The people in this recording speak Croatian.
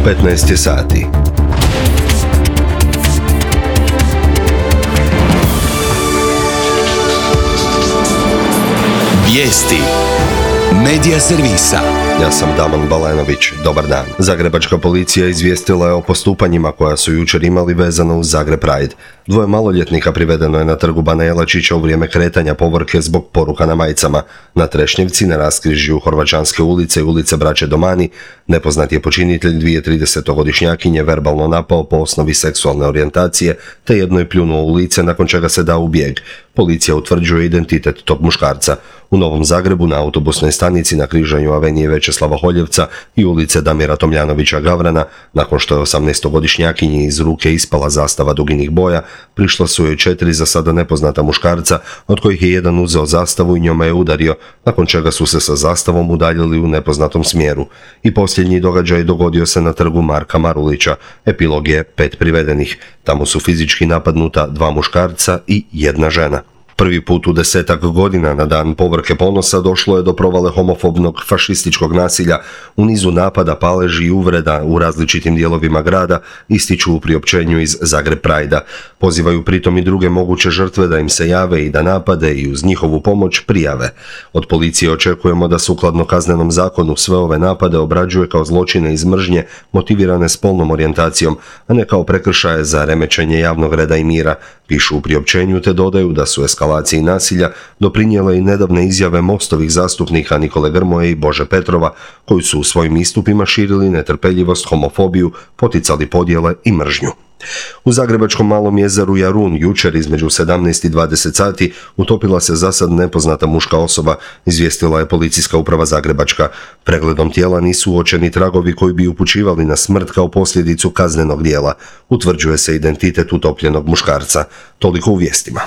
15 je sati. Vijesti Medija servisa. Ja sam Damon Balenović. Dobar dan. Zagrebačka policija izvijestila je o postupanjima koja su jučer imali vezano uz Zagreb Pride. 2 maloljetnika privedeno je na trgu Bana Jelačića u vrijeme kretanja povorke zbog poruka na majicama. Na Trešnjevci, na raskrižju Horvaćanske ulice i ulice Braće Domani, nepoznat je počinitelj 30-godišnjakinje verbalno napao po osnovi seksualne orijentacije, te jednoj pljunuo u lice, nakon čega se dao u bijeg. Policija utvrđuje identitet tog muškarca. U Novom Zagrebu na autobusnoj stanici na križanju avenije Večeslava Holjevca i ulice Damira Tomljanovića Gavrana, nakon što je 18-godišnjakinji iz ruke ispala zastava duginih boja, prišla su joj 4 za sada nepoznata muškarca, od kojih je jedan uzeo zastavu i njome je udario, nakon čega su se sa zastavom udaljili u nepoznatom smjeru. I posljednji događaj dogodio se na trgu Marka Marulića. Epilog je 5 privedenih. Tamo su fizički napadnuta 2 muškarca i 1 žena. Prvi put u 10-ak godina na dan Povorke ponosa došlo je do provale homofobnog fašističkog nasilja u nizu napada, paleži i uvreda u različitim dijelovima grada, ističu u priopćenju iz Zagreb Pride-a. Pozivaju pritom i druge moguće žrtve da im se jave i da napade i uz njihovu pomoć prijave. Od policije očekujemo da sukladno kaznenom zakonu sve ove napade obrađuje kao zločine iz mržnje motivirane spolnom orijentacijom, a ne kao prekršaje za remećenje javnog reda i mira, pišu u priopćenju, te dodaju da su eskalaciji nasilja doprinijele i nedavne izjave Mostovih zastupnika Nikole Grmoje i Bože Petrova, koji su u svojim istupima širili netrpeljivost, homofobiju, poticali podjele i mržnju. U zagrebačkom Malom jezeru Jarun jučer između 17 i 20 sati utopila se zasad nepoznata muška osoba, izvijestila je policijska uprava Zagrebačka. Pregledom tijela nisu uočeni tragovi koji bi upućivali na smrt kao posljedicu kaznenog djela. Utvrđuje se identitet utopljenog muškarca. Toliko u vijestima.